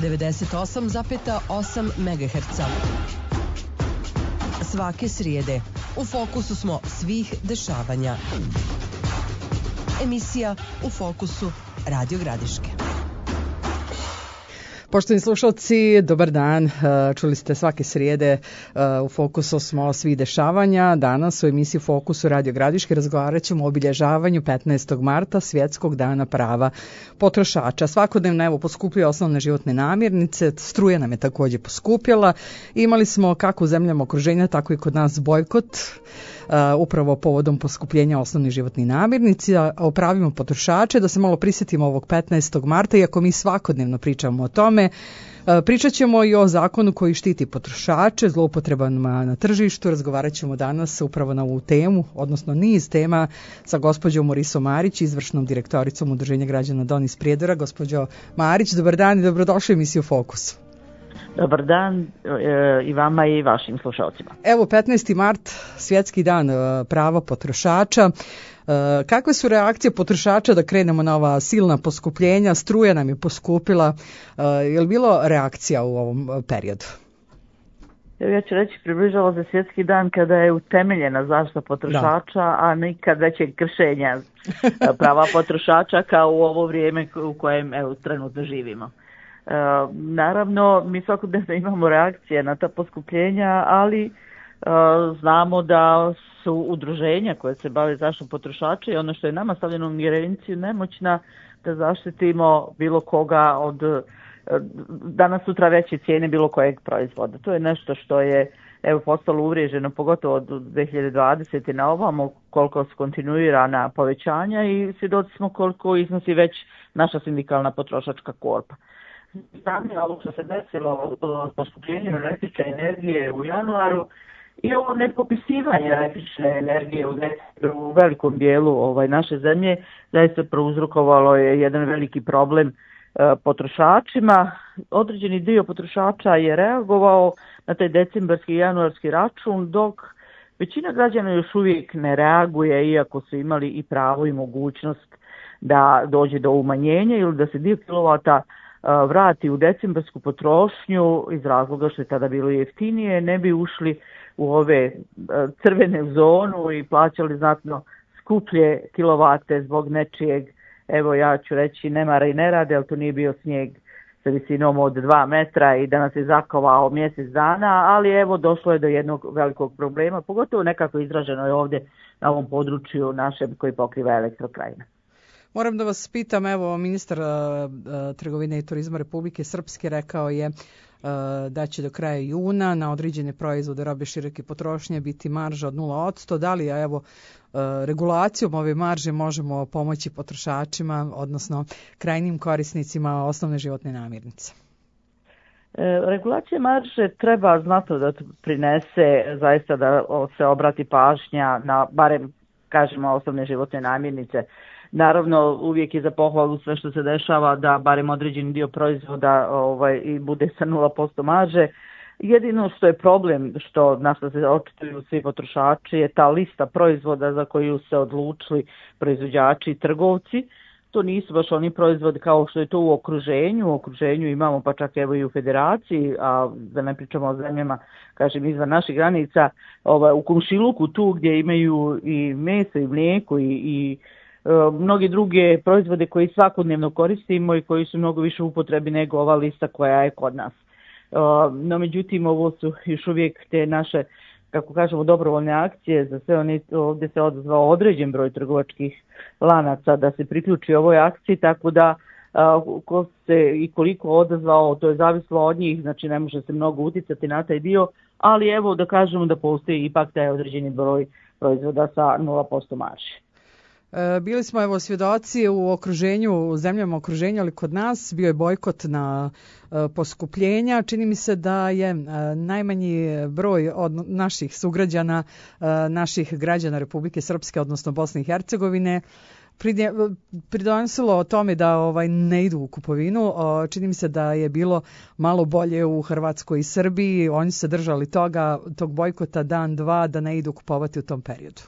98,8 MHz. Svake srijede u fokusu smo svih dešavanja. Emisija U fokusu Radio Gradiške. Poštovani slušalci, dobar dan. Čuli ste svake srijede u fokusu smo svih dešavanja. Danas u emisiji Fokusu Radio Gradiške razgovarat ćemo o obilježavanju 15. marta, Svjetskog dana prava potrošača. Svakodnevno evo poskupljuje osnovne životne namirnice, struja nam je također poskupjela. Imali smo kako u zemljama okruženja, tako i kod nas bojkot upravo povodom poskupljenja osnovnih životnih namirnica. O pravima potrošača, da se malo prisjetimo ovog 15. marta, iako mi svakodnevno pričamo o tome. Pričat ćemo i o zakonu koji štiti potrošače, zloupotrebama na tržištu. Razgovarat ćemo danas upravo na ovu temu, odnosno niz tema sa gospođom Morisom Marić, izvršnom direktoricom Udruženja građana Don iz Prijedora. Gospođo Marić, dobar dan i dobrodošli u emisiju Fokus. Dobar dan i vama i vašim slušalcima. Evo 15. mart, Svjetski dan prava potrošača. Kakve su reakcije potrošača da krenemo na ova silna poskupljenja? Struja nam je poskupila. Je li bilo reakcija u ovom periodu? Ja ću reći, približava se Svjetski dan kada je utemeljena zaštita potrošača, a nikad većeg kršenja prava potrošača kao u ovo vrijeme u kojem trenutno živimo. Naravno, mi svakodnevno imamo reakcije na ta poskupljenja, ali znamo da su udruženja koje se bave zaštitom potrošača i ono što je nama stavljeno u ingerenciju nemoćna da zaštitimo bilo koga od danas sutra veće cijene bilo kojeg proizvoda. To je nešto što je postalo uvriježeno, pogotovo od 2020. na ovamo, koliko su kontinuirana povećanja i svjedoci smo koliko iznosi već naša sindikalna potrošačka korpa. Stanje ovo što se desilo od poskupljenja električne energije u januaru i ovo nepopisivanje električne energije u velikom dijelu naše zemlje zaista prouzrokovalo je jedan veliki problem potrošačima. Određeni dio potrošača je reagovao na taj decembarski i januarski račun, dok većina građana još uvijek ne reaguje, iako su imali i pravo i mogućnost da dođe do umanjenja ili da se dio kilovata vrati u decembarsku potrošnju iz razloga što je tada bilo jeftinije, ne bi ušli u ove crvene zonu i plaćali znatno skuplje kilovate zbog nečijeg, evo ja ću reći nemara i nerade, ali to nije bio snijeg sa visinom od 2 metra i da nas je zakovao mjesec dana, ali evo došlo je do jednog velikog problema, pogotovo nekako izraženo je ovdje na ovom području našem koji pokriva Elektrokrajina. Moram da vas pitam, evo ministar trgovine i turizma Republike Srpske rekao je da će do kraja juna na određene proizvode robe široke potrošnje biti marža od 0%. Da li evo regulacijom ove marže možemo pomoći potrošačima, odnosno krajnjim korisnicima osnovne životne namirnice? Regulacija marže treba znatno da prinese zaista da se obrati pažnja na barem kažemo osnovne životne namirnice. Naravno, uvijek je za pohvalu sve što se dešava da barem određeni dio proizvoda i bude sa 0% marže. Jedino što je problem, na što se očituju svi potrošači, je ta lista proizvoda za koju se odlučili proizvođači i trgovci. To nisu baš oni proizvodi kao što je to u okruženju. U okruženju imamo pa čak evo i u federaciji, a da ne pričamo o zemljama, kažem, izvan naših granica, u komšiluku tu gdje imaju i meso i mlijeko i mnogi druge proizvode koji svakodnevno koristimo i koji su mnogo više u upotrebi nego ova lista koja je kod nas. No međutim, ovo su još uvijek te naše, kako kažemo, dobrovoljne akcije za sve one. Ovdje se odazvao određen broj trgovačkih lanaca da se priključi ovoj akciji, tako da ko se i koliko odazvao, to je zavislo od njih, znači ne može se mnogo uticati na taj dio, ali evo da kažemo da postoji ipak taj određeni broj proizvoda sa 0% marže. Bili smo evo svjedoci u okruženju, u zemljama okruženja, ali kod nas bio je bojkot na poskupljenja. Čini mi se da je najmanji broj od naših sugrađana, naših građana Republike Srpske, odnosno Bosne i Hercegovine, pridonosilo o tome da ne idu u kupovinu. Čini mi se da je bilo malo bolje u Hrvatskoj i Srbiji. Oni su se držali tog bojkota dan, dva, da ne idu kupovati u tom periodu.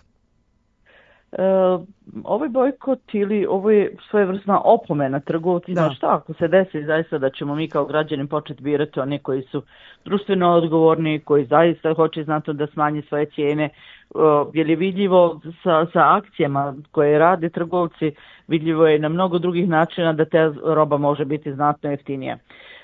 Ovaj bojkot ili ovo je svojevrsna opomena trgovcima, šta ako se desi zaista da ćemo mi kao građani početi birati one koji su društveno odgovorni, koji zaista hoće znatno da smanje svoje cijene, jer je vidljivo sa akcijama koje rade trgovci, vidljivo je na mnogo drugih načina da ta roba može biti znatno jeftinija.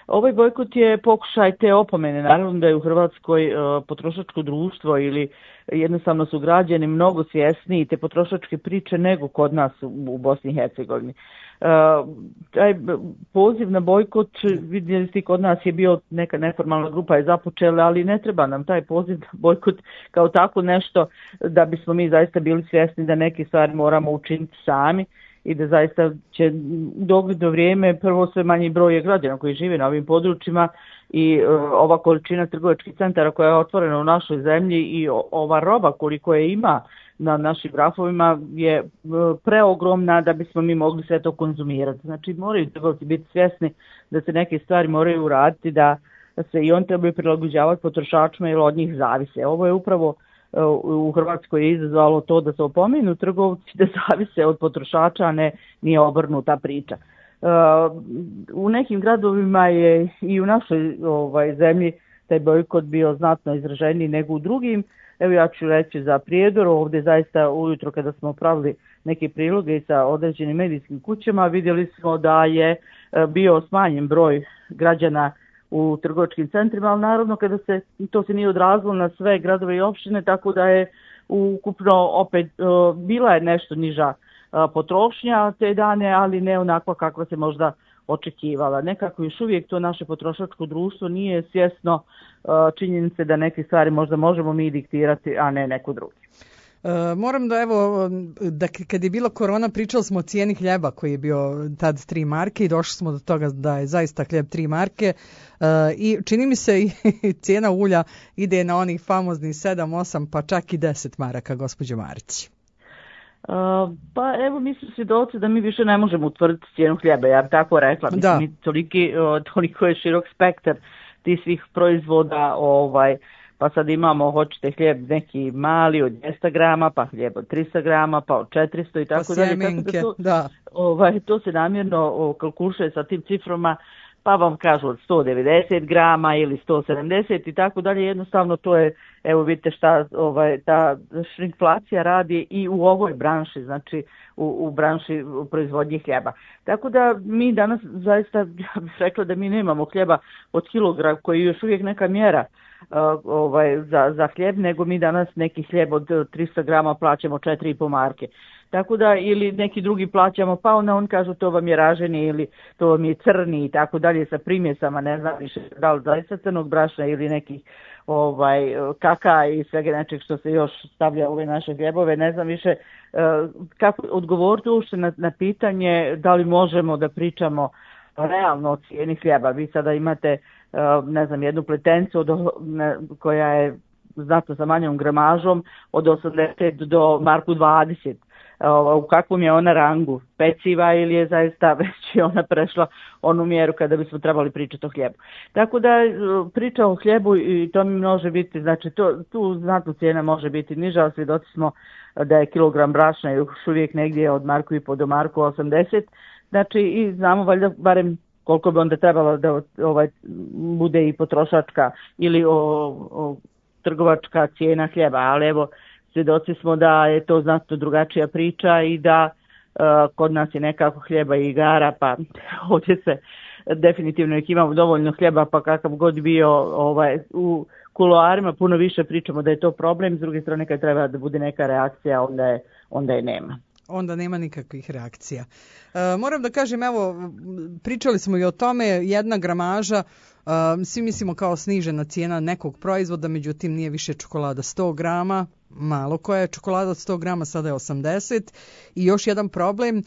Ovaj bojkot je pokušaj te opomene, naravno da je u Hrvatskoj potrošačko društvo ili jednostavno su građani mnogo svjesniji te potrošačke priče nego kod nas u Bosni i Hercegovini. Taj poziv na bojkot, vidjeli ste, kod nas je bio neka neformalna grupa je započela, ali ne treba nam taj poziv na bojkot kao tako nešto da bismo mi zaista bili svjesni da neke stvari moramo učiniti sami i da zaista će dogledno vrijeme prvo sve manji broj građana koji žive na ovim područjima i ova količina trgovačkih centara koja je otvorena u našoj zemlji i ova roba koliko je ima na našim grafovima je preogromna da bismo mi mogli sve to konzumirati. Znači moraju trgovci biti svjesni da se neke stvari moraju uraditi, da se i on trebaju prilagođavati potrošačima jer od njih zavise. Ovo je upravo u Hrvatskoj je izazvalo to da se opomenu trgovci da zavise od potrošača, a nije obrnuta priča. U nekim gradovima je i u našoj zemlji taj bojkot bio znatno izraženiji nego u drugim. Evo ja ću reći za Prijedor, ovdje zaista ujutro kada smo pravili neke priloge sa određenim medijskim kućama vidjeli smo da je bio smanjen broj građana u trgovačkim centrima, ali naravno to se nije odrazilo na sve gradove i opštine, tako da je ukupno opet bila je nešto niža potrošnja te dane, ali ne onakva kakva se možda očekivala. Nekako još uvijek to naše potrošačko društvo nije svjesno činjenice da neke stvari možda možemo mi diktirati, a ne neko drugi. Moram da kad je bila korona pričali smo o cijeni hljeba koji je bio tad 3 marke i došli smo do toga da je zaista hljeb 3 marke i čini mi se i cijena ulja ide na onih famoznih 7, 8 pa čak i 10 maraka, gospođo Marić. Pa evo mi smo svjedoci da mi više ne možemo utvrditi cijenu hljeba, ja bih tako rekla. Mislim, toliko je širok spektar tih svih proizvoda, pa sad imamo, hoćete hljeb neki mali od 200 grama, pa hljeb od 300 grama, pa od 400 i tako dalje. Sjemenke, to se namjerno kalkuluje sa tim ciframa, pa vam kažu od 190 grama ili 170 i tako dalje. Jednostavno to je, evo vidite šta ta šrinkflacija radi i u ovoj branši, znači u branši proizvodnje hljeba. Tako da mi danas zaista, ja bih rekla da mi nemamo hljeba od kilogram koji je još uvijek neka mjera za hljeb, nego mi danas neki hljeb od 300 grama plaćamo 4,5 marke. Tako da ili neki drugi plaćamo, pa on kažu to vam je raženi ili to vam je crni i tako dalje sa primjesama, ne znam više da li zaista crnog brašna ili nekih kaka i svega nečeg što se još stavlja u ove naše hljebove, ne znam više kako odgovoriti uopšte na pitanje da li možemo da pričamo realno o cijeni hljeba. Vi sada imate ne znam, jednu pletencu koja je znatno sa manjom gramažom od 80 do marku 20. U kakvom je ona rangu? Peciva ili je zaista već ona prešla onu mjeru kada bismo trebali pričati o hljebu. Tako da priča o hljebu i to mi može biti, znači tu znatno cijena može biti niža, ali svjedoci smo da je kilogram brašna još uvijek negdje od marku i po do marku 80. Znači i znamo valjda barem koliko bi onda trebalo da bude i potrošačka ili trgovačka cijena hljeba, ali evo svjedoci smo da je to znatno drugačija priča i da kod nas je nekako hljeba i igara, pa ovdje se definitivno imamo dovoljno hljeba, pa kakav god bio u kuloarima puno više pričamo da je to problem, s druge strane kad treba da bude neka reakcija onda je nema. Onda nema nikakvih reakcija. Moram da kažem, evo, pričali smo i o tome, jedna gramaža, svi mislimo kao snižena cijena nekog proizvoda, međutim nije više čokolada 100 grama, malo koja je čokolada od 100 grama, sada je 80. I još jedan problem,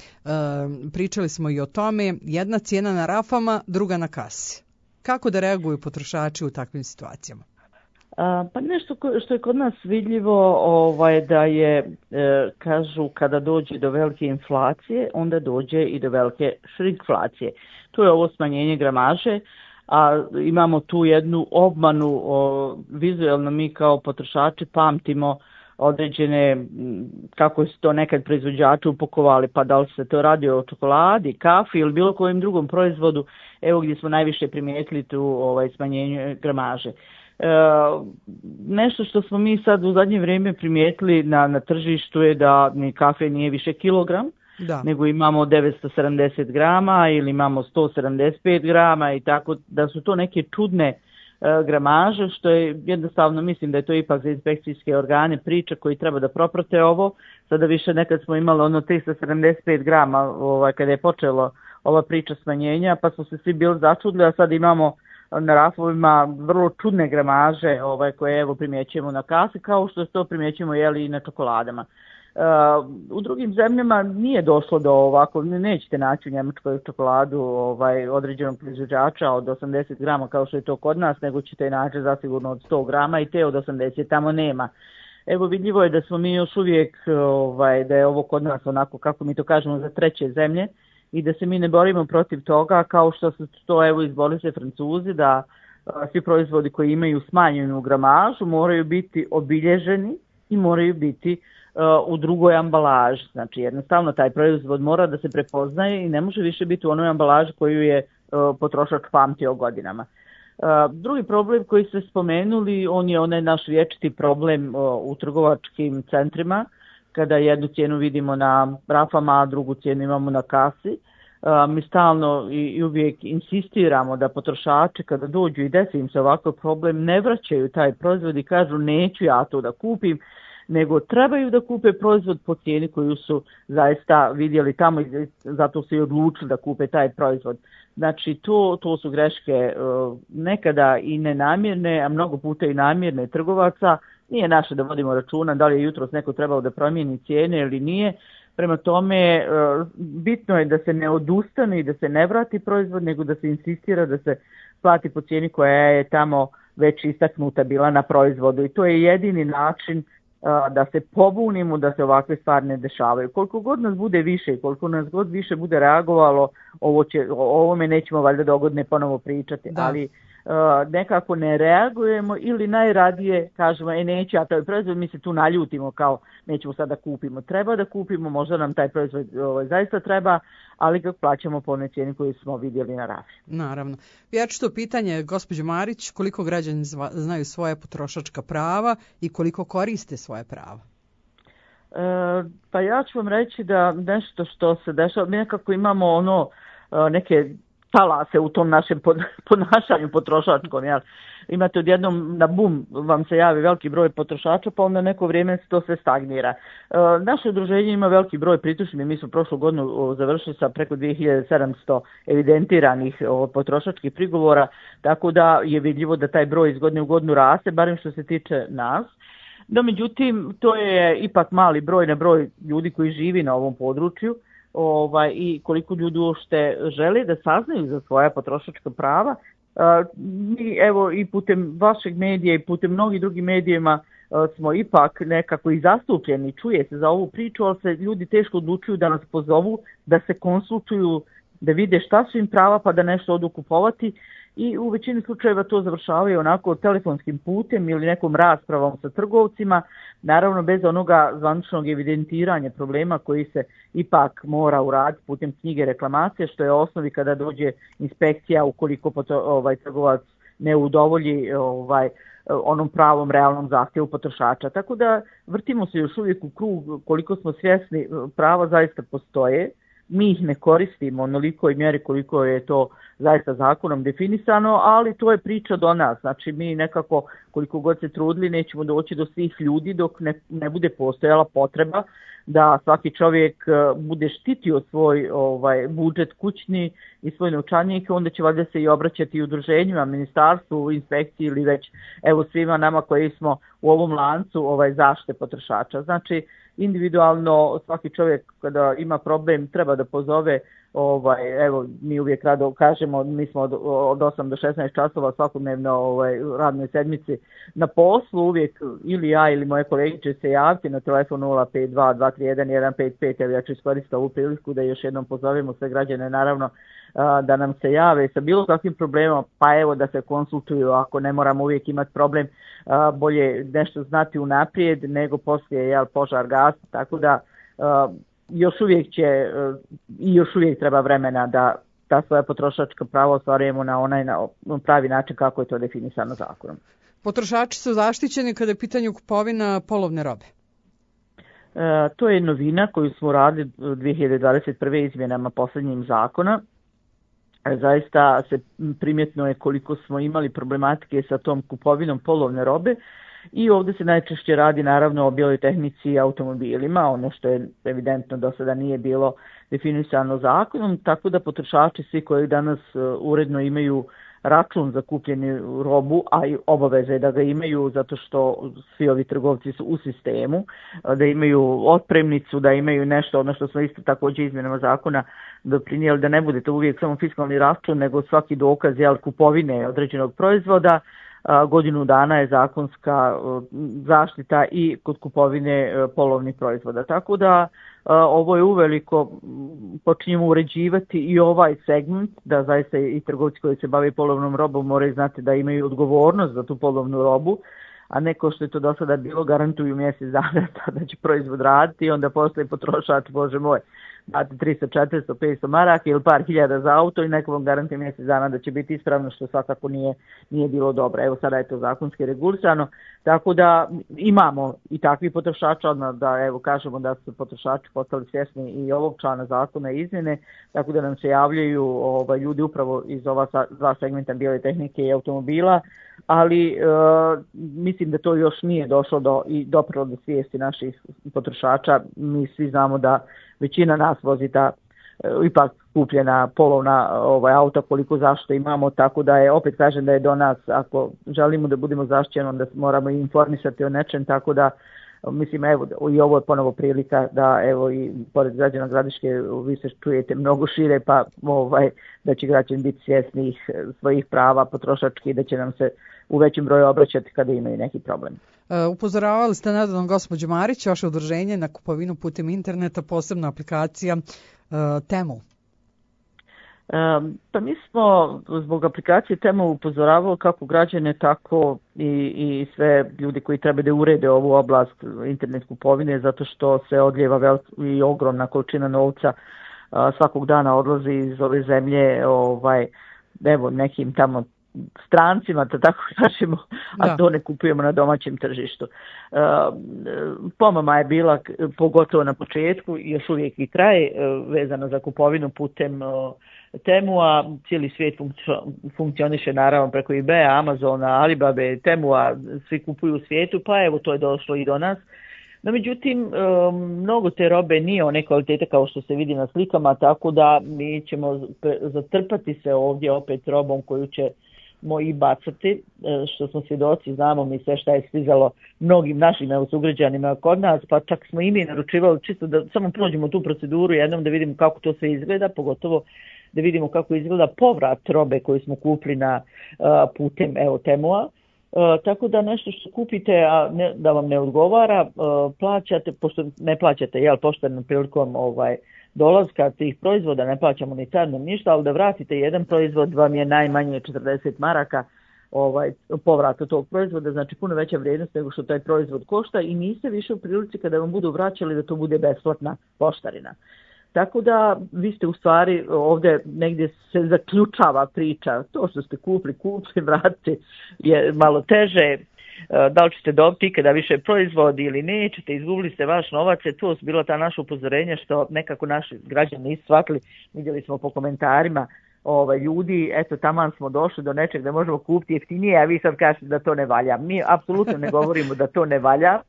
pričali smo i o tome, jedna cijena na rafama, druga na kasi. Kako da reaguju potrošači u takvim situacijama? Pa nešto što je kod nas vidljivo da je, kažu, kada dođe do velike inflacije, onda dođe i do velike šrinkflacije. To je ovo smanjenje gramaže, a imamo tu jednu obmanu, vizualno mi kao potrošači pamtimo određene, kako su to nekad proizvođači upakovali, pa da li se to radi o čokoladi, kafi ili bilo kojem drugom proizvodu, evo gdje smo najviše primijetili tu smanjenje gramaže. Nešto što smo mi sad u zadnje vrijeme primijetili na tržištu je da ni kafe nije više kilogram, nego imamo 970 grama ili imamo 175 grama i tako da su to neke čudne gramaže, što je jednostavno, mislim da je to ipak za inspekcijske organe priča koji treba da proprate ovo. Sada više nekad smo imali 375 grama kada je počelo ova priča smanjenja, pa smo se svi bili začudili, a sad imamo na rafovima vrlo čudne gramaže koje evo primjećujemo na kasi, kao što to primjećujemo i na čokoladama. U drugim zemljama nije došlo do ovako, nećete naći u Njemačkoj čokoladu određenog proizvođača od 80 grama kao što je to kod nas, nego ćete naći zasigurno od 100 grama i te od 80 tamo nema. Evo vidljivo je da smo mi još uvijek, da je ovo kod nas onako kako mi to kažemo za treće zemlje i da se mi ne borimo protiv toga kao što su to evo izborili se Francuzi da svi proizvodi koji imaju smanjenu gramažu moraju biti obilježeni i moraju biti u drugoj ambalaži. Znači jednostavno taj proizvod mora da se prepoznaje i ne može više biti u onoj ambalaži koju je potrošač pamtio godinama. Drugi problem koji ste spomenuli, on je onaj naš vječiti problem u trgovačkim centrima, kada jednu cijenu vidimo na rafama, a drugu cijenu imamo na kasi. Mi stalno i uvijek insistiramo da potrošači kada dođu i desi im se ovakav problem ne vraćaju taj proizvod i kažu neću ja to da kupim, nego trebaju da kupe proizvod po cijeni koju su zaista vidjeli tamo i zato su i odlučili da kupe taj proizvod. Znači to su greške nekada i nenamjerne, a mnogo puta i namjerne trgovaca. Nije naše da vodimo računa da li je jutros neko trebao da promijeni cijene ili nije. Prema tome, bitno je da se ne odustane i da se ne vrati proizvod, nego da se insistira da se plati po cijeni koja je tamo već istaknuta bila na proizvodu. I to je jedini način da se pobunimo, da se ovakve stvari ne dešavaju. Koliko god nas bude više i koliko nas god više bude reagovalo, o ovome nećemo valjda dogodne ponovo pričati, ali nekako ne reagujemo ili najradije kažemo neću ja taj proizvod, mi se tu naljutimo kao nećemo sada kupimo. Treba da kupimo, možda nam taj proizvod zaista treba, ali ga plaćamo po onoj cijeni koju smo vidjeli na rafi. Naravno. Ja ću to pitanje, gospođo Marić, koliko građani znaju svoje potrošačka prava i koliko koriste svoje prava? Pa ja ću vam reći da nešto što se dešava, mi nekako imamo neke talase u tom našem ponašanju potrošačkom. Imate odjednom na bum vam se javi veliki broj potrošača, pa onda neko vrijeme to sve stagnira. Naše udruženje ima veliki broj pritužbi, mi smo prošlu godinu završili sa preko 2700 evidentiranih potrošačkih prigovora, tako da je vidljivo da taj broj iz godine u godinu raste, barem što se tiče nas. No, međutim, to je ipak mali broj na broj ljudi koji živi na ovom području. I koliko ljudi uopšte žele da saznaju za svoja potrošačka prava. Mi evo i putem vašeg medija i putem mnogih drugih medijima smo ipak nekako i zastupljeni, čuje se za ovu priču, ali se ljudi teško odlučuju da nas pozovu, da se konsultuju, da vide šta su im prava pa da nešto odu kupovati i u većini slučajeva to završavaju onako telefonskim putem ili nekom raspravom sa trgovcima, naravno bez onoga zvaničnog evidentiranja problema koji se ipak mora uraditi putem knjige reklamacije, što je osnovi kada dođe inspekcija ukoliko trgovac ne udovolji onom pravom realnom zahtjevu potrošača. Tako da vrtimo se još uvijek u krug, koliko smo svjesni prava zaista postoje. Mi ih ne koristimo onolikoj mjeri koliko je to zaista zakonom definisano, ali to je priča do nas. Znači mi nekako koliko god se trudili nećemo doći do svih ljudi dok ne bude postojala potreba da svaki čovjek bude štitio svoj budžet kućni i svoj novčanik, onda će valjda se i obraćati udruženjima, ministarstvu, inspekciji ili već evo svima nama koji smo u ovom lancu zaštite potrošača. Znači individualno svaki čovjek kada ima problem treba da pozove Evo, mi uvijek rado kažemo, mi smo od 8 do 16 časova svakodnevno radnoj sedmici na poslu, uvijek ili ja ili moje kolege će se javiti na telefon 052 231 155, evo ja ću iskoristiti ovu priliku da još jednom pozovemo sve građane, naravno, da nam se jave sa bilo kakvim problemom, pa evo da se konsultuju, ako ne moramo uvijek imati problem, bolje nešto znati unaprijed nego poslije požar gasi, tako da još uvijek treba vremena da ta svoja potrošačka prava ostvarujemo na pravi način kako je to definisano zakonom. Potrošači su zaštićeni kada je pitanje kupovina polovne robe. To je novina koju smo radili 2021. izmjenama posljednjim zakona. Zaista se primjetno je koliko smo imali problematike sa tom kupovinom polovne robe i ovdje se najčešće radi naravno o bijeloj tehnici i automobilima, ono što je evidentno do sada nije bilo definisano zakonom, tako da potrošači svi koji danas uredno imaju račun za kupljenu robu, a i obaveze da ga imaju zato što svi ovi trgovci su u sistemu, da imaju otpremnicu, da imaju nešto, ono što smo isto također izmjenama zakona doprinijeli, da ne bude to uvijek samo fiskalni račun, nego svaki dokaz kupovine određenog proizvoda. Godinu dana je zakonska zaštita i kod kupovine polovnih proizvoda. Tako da ovo je uveliko, počinjemo uređivati i ovaj segment, da zaista i trgovci koji se bave polovnom robom moraju znati da imaju odgovornost za tu polovnu robu, a ne kao što je to do sada bilo, garantuju mjesec dana da će proizvod raditi i onda postoji potrošač, bože moj, dati 300, 400, 500 maraka ili par hiljada za auto i neko vam garantuje mjesec dana da će biti ispravno, što svakako nije bilo dobro. Evo sada je to zakonski regulisano, tako da imamo i takvi potrošača, odmah da evo kažemo da su potrošači postali svjesni i ovog člana zakona i izmjene, tako da nam se javljaju ljudi upravo iz ova dva segmenta bijele tehnike i automobila, ali mislim da to još nije došlo doprlo do svijesti naših potrošača. Mi svi znamo da većina nas vozi ta ipak kupljena polovna auta koliko zašto imamo, tako da je, opet kažem da je do nas, ako želimo da budemo zaštićeni, onda moramo i informisati o nečem, tako da mislim evo i ovo je ponovo prilika da evo i pored građana Gradiške vi se čujete mnogo šire, pa da će građani biti svjesni svojih prava potrošački i da će nam se u većem broju obraćati kada imaju neki problem. Upozoravali ste nedavno gospođo Marić, vaše udruženje na kupovinu putem interneta, posebna aplikacija Temu. Pa mi smo zbog aplikacije Temu upozoravali kako građane, tako i sve ljudi koji treba da urede ovu oblast internet kupovine, zato što se odljeva i ogromna količina novca svakog dana odlazi iz ove zemlje, evo nekim tamo strancima, da tako kažemo, a to ne kupujemo na domaćem tržištu. Pomama je bila, pogotovo na početku, još uvijek i traje, vezano za kupovinu putem Temu, a cijeli svijet funkcioniše naravno preko eBaya, Amazona, Alibabe, Temua, svi kupuju u svijetu, pa evo to je došlo i do nas. No međutim, mnogo te robe nije one kvalitete kao što se vidi na slikama, tako da mi ćemo zatrpati se ovdje opet robom koju ćemo i bacati, što smo svjedoci, znamo mi sve šta je stizalo mnogim našim sugrađanima kod nas, pa čak smo i mi naručivali čisto da samo prođemo tu proceduru jednom da vidimo kako to sve izgleda, pogotovo da vidimo kako izgleda povrat robe koju smo kupili putem Temua. Tako da nešto što kupite, a da vam ne odgovara, plaćate, pošto ne plaćate pošteno prilikom dolaska tih proizvoda, ne plaćamo ni carno ništa, ali da vratite jedan proizvod vam je najmanje 40 maraka povrata tog proizvoda, znači puno veća vrijednost nego što taj proizvod košta i niste više u prilici kada vam budu vraćali da to bude besplatna poštarina. Tako da vi ste u stvari ovdje negdje se zaključava priča, to što ste kupili, vratite je malo teže, da li ćete dobiti ikada više proizvodi ili nećete, izgubili ste vaš novac, to su bila ta naša upozorenja što nekako naši građani nisu shvatili, vidjeli smo po komentarima ljudi, eto taman smo došli do nečeg da možemo kupiti jeftinije, a vi sad kažete da to ne valja. Mi apsolutno ne govorimo da to ne valja,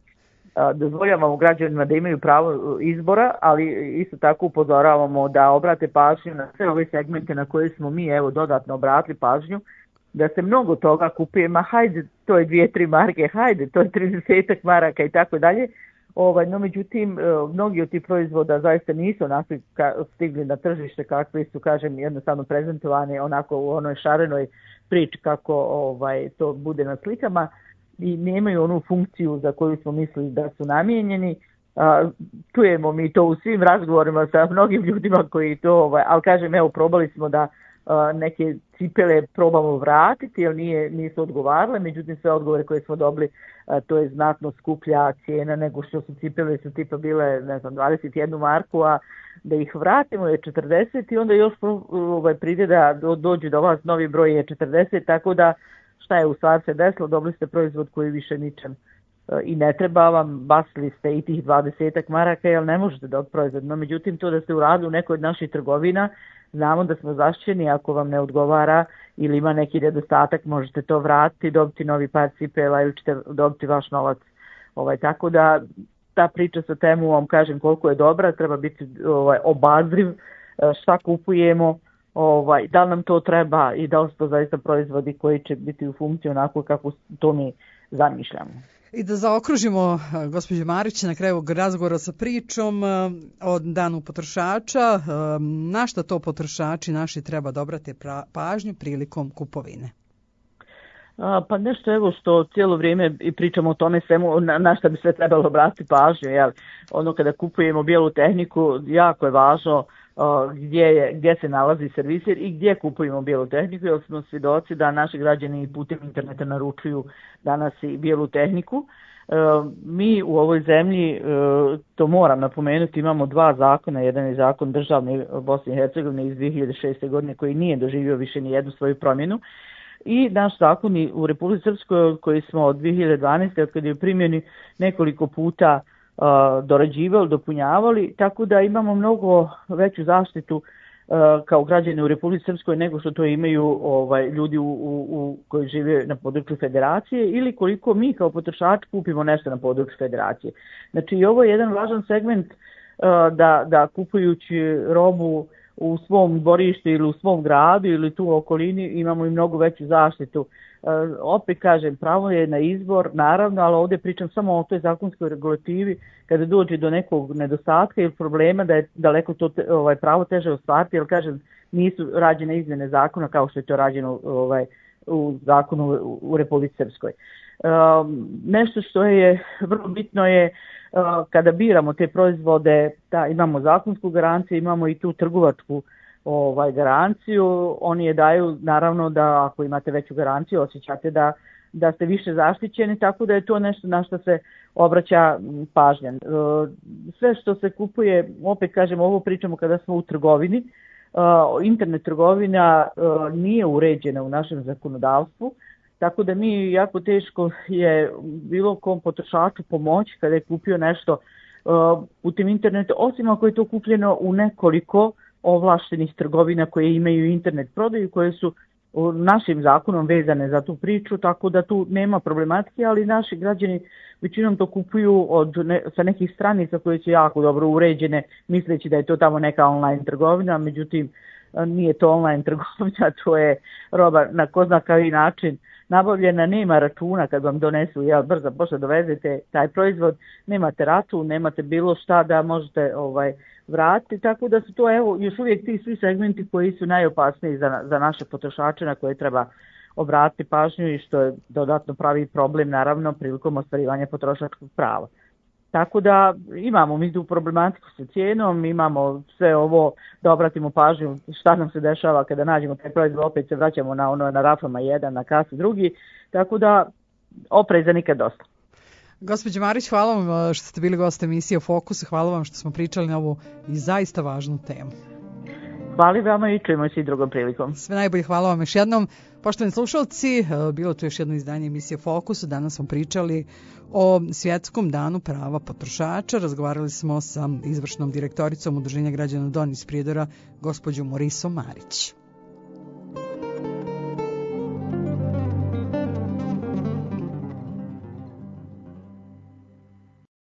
dozvoljavamo građanima da imaju pravo izbora, ali isto tako upozoravamo da obrate pažnju na sve ove segmente na koje smo mi dodatno obratili pažnju, da se mnogo toga kupuje, hajde to je 2-3 marke, hajde to je 30 maraka i tako dalje, No međutim, mnogi od tih proizvoda zaista nisu onakvi stigli na tržište kakvi su, kažem, jednostavno prezentovani onako u onoj šarenoj priči kako to bude na slikama i nemaju onu funkciju za koju smo mislili da su namijenjeni. Čujemo mi to u svim razgovorima sa mnogim ljudima koji to, ali kažem, evo, probali smo da neke cipele probamo vratiti jer nisu odgovarale, međutim sve odgovore koje smo dobili, to je znatno skuplja cijena nego što su cipele, su tipa bile, ne znam, 21 marku, a da ih vratimo je 40 i onda još pride da dođu do vas novi broj je 40, tako da šta je u stvari se desilo, dobili ste proizvod koji više ničem i ne treba vam, basili ste i tih 20 maraka jer ne možete dobiti proizvod, no međutim to da ste uradili u nekoj od naših trgovina, znamo da smo zaštićeni, ako vam ne odgovara ili ima neki nedostatak, možete to vratiti, dobiti novi par cipela ili ćete dobiti vaš novac. Tako da ta priča sa Temuom, kažem, koliko je dobra, treba biti obazriv šta kupujemo, da li nam to treba i da li su to zaista proizvodi koji će biti u funkciji onako kako to mi zamišljamo. I da zaokružimo, gospođo Marić, na kraju razgovora sa pričom o danu potrošača, na šta to potrošači naši treba da obrate pažnju prilikom kupovine? Pa nešto evo što cijelo vrijeme i pričamo o tome svemu, na šta bi sve trebalo obratiti pažnju. Jel? Kada kupujemo bijelu tehniku, jako je važno gdje se nalazi servisir i gdje kupujemo bijelu tehniku, jer smo svjedoci da naši građani putem interneta naručuju danas i bijelu tehniku. Mi u ovoj zemlji, to moram napomenuti, imamo dva zakona. Jedan je zakon državni Bosne i Hercegovine iz 2006. godine koji nije doživio više ni jednu svoju promjenu. I naš zakon u Republici Srpskoj koji smo od 2012. od kada je u primjeni nekoliko puta dorađivali, dopunjavali, tako da imamo mnogo veću zaštitu kao građani u Republici Srpskoj nego što to imaju ljudi koji žive na području federacije ili koliko mi kao potrošači kupimo nešto na području federacije. Znači i ovo je jedan važan segment da kupujući robu u svom dvorištu ili u svom gradu ili tu u okolini imamo i mnogo veću zaštitu. Opet kažem, pravo je na izbor, naravno, ali ovdje pričam samo o toj zakonskoj regulativi kada dođe do nekog nedostatka ili problema da je daleko to pravo teže ostvariti, jer kažem, nisu rađene izmjene zakona kao što je to rađeno u zakonu u Republici Srpskoj. Nešto što je vrlo bitno je kada biramo te proizvode, imamo zakonsku garanciju, imamo i tu trgovačku garanciju, oni je daju naravno da ako imate veću garanciju osjećate da ste više zaštićeni, tako da je to nešto na što se obraća pažnja. Sve što se kupuje, opet kažem, ovo pričamo kada smo u trgovini, internet trgovina nije uređena u našem zakonodavstvu, tako da mi jako teško je bilo kom potrošaču pomoći kada je kupio nešto putem interneta, osim ako je to kupljeno u nekoliko ovlaštenih trgovina koje imaju internet prodaju, koje su našim zakonom vezane za tu priču, tako da tu nema problematike, ali naši građani većinom to kupuju sa nekih stranica koje su jako dobro uređene, misleći da je to tamo neka online trgovina, međutim nije to online trgovina, to je roba na ko zna koji način nabavljena, nema računa kad vam donesu, brzo pošto dovezete taj proizvod, nemate račun, nemate bilo šta da možete vratiti, tako da su to još uvijek ti svi segmenti koji su najopasniji za naše potrošače na koje treba obratiti pažnju i što je dodatno pravi problem naravno prilikom ostvarivanja potrošačkog prava. Tako da imamo mi tu problematiku sa cijenom, imamo sve ovo da obratimo pažnju šta nam se dešava kada nađemo taj proizvod, opet se vraćamo na rafama jedan, na kasi drugi, tako da opreza nikad dosta. Gospođo Marić, hvala vam što ste bili gost emisije Fokus, hvala vam što smo pričali na ovu i zaista važnu temu. Hvala vama i čujemo se i drugom prilikom. Sve najbolje, hvala vam još jednom. Poštovani slušalci, bilo to još jedno izdanje emisije Fokus. Danas smo pričali o Svjetskom danu prava potrošača. Razgovarali smo sa izvršnom direktoricom Udruženja građana Don iz Prijedora, gospođom Morisom Marić.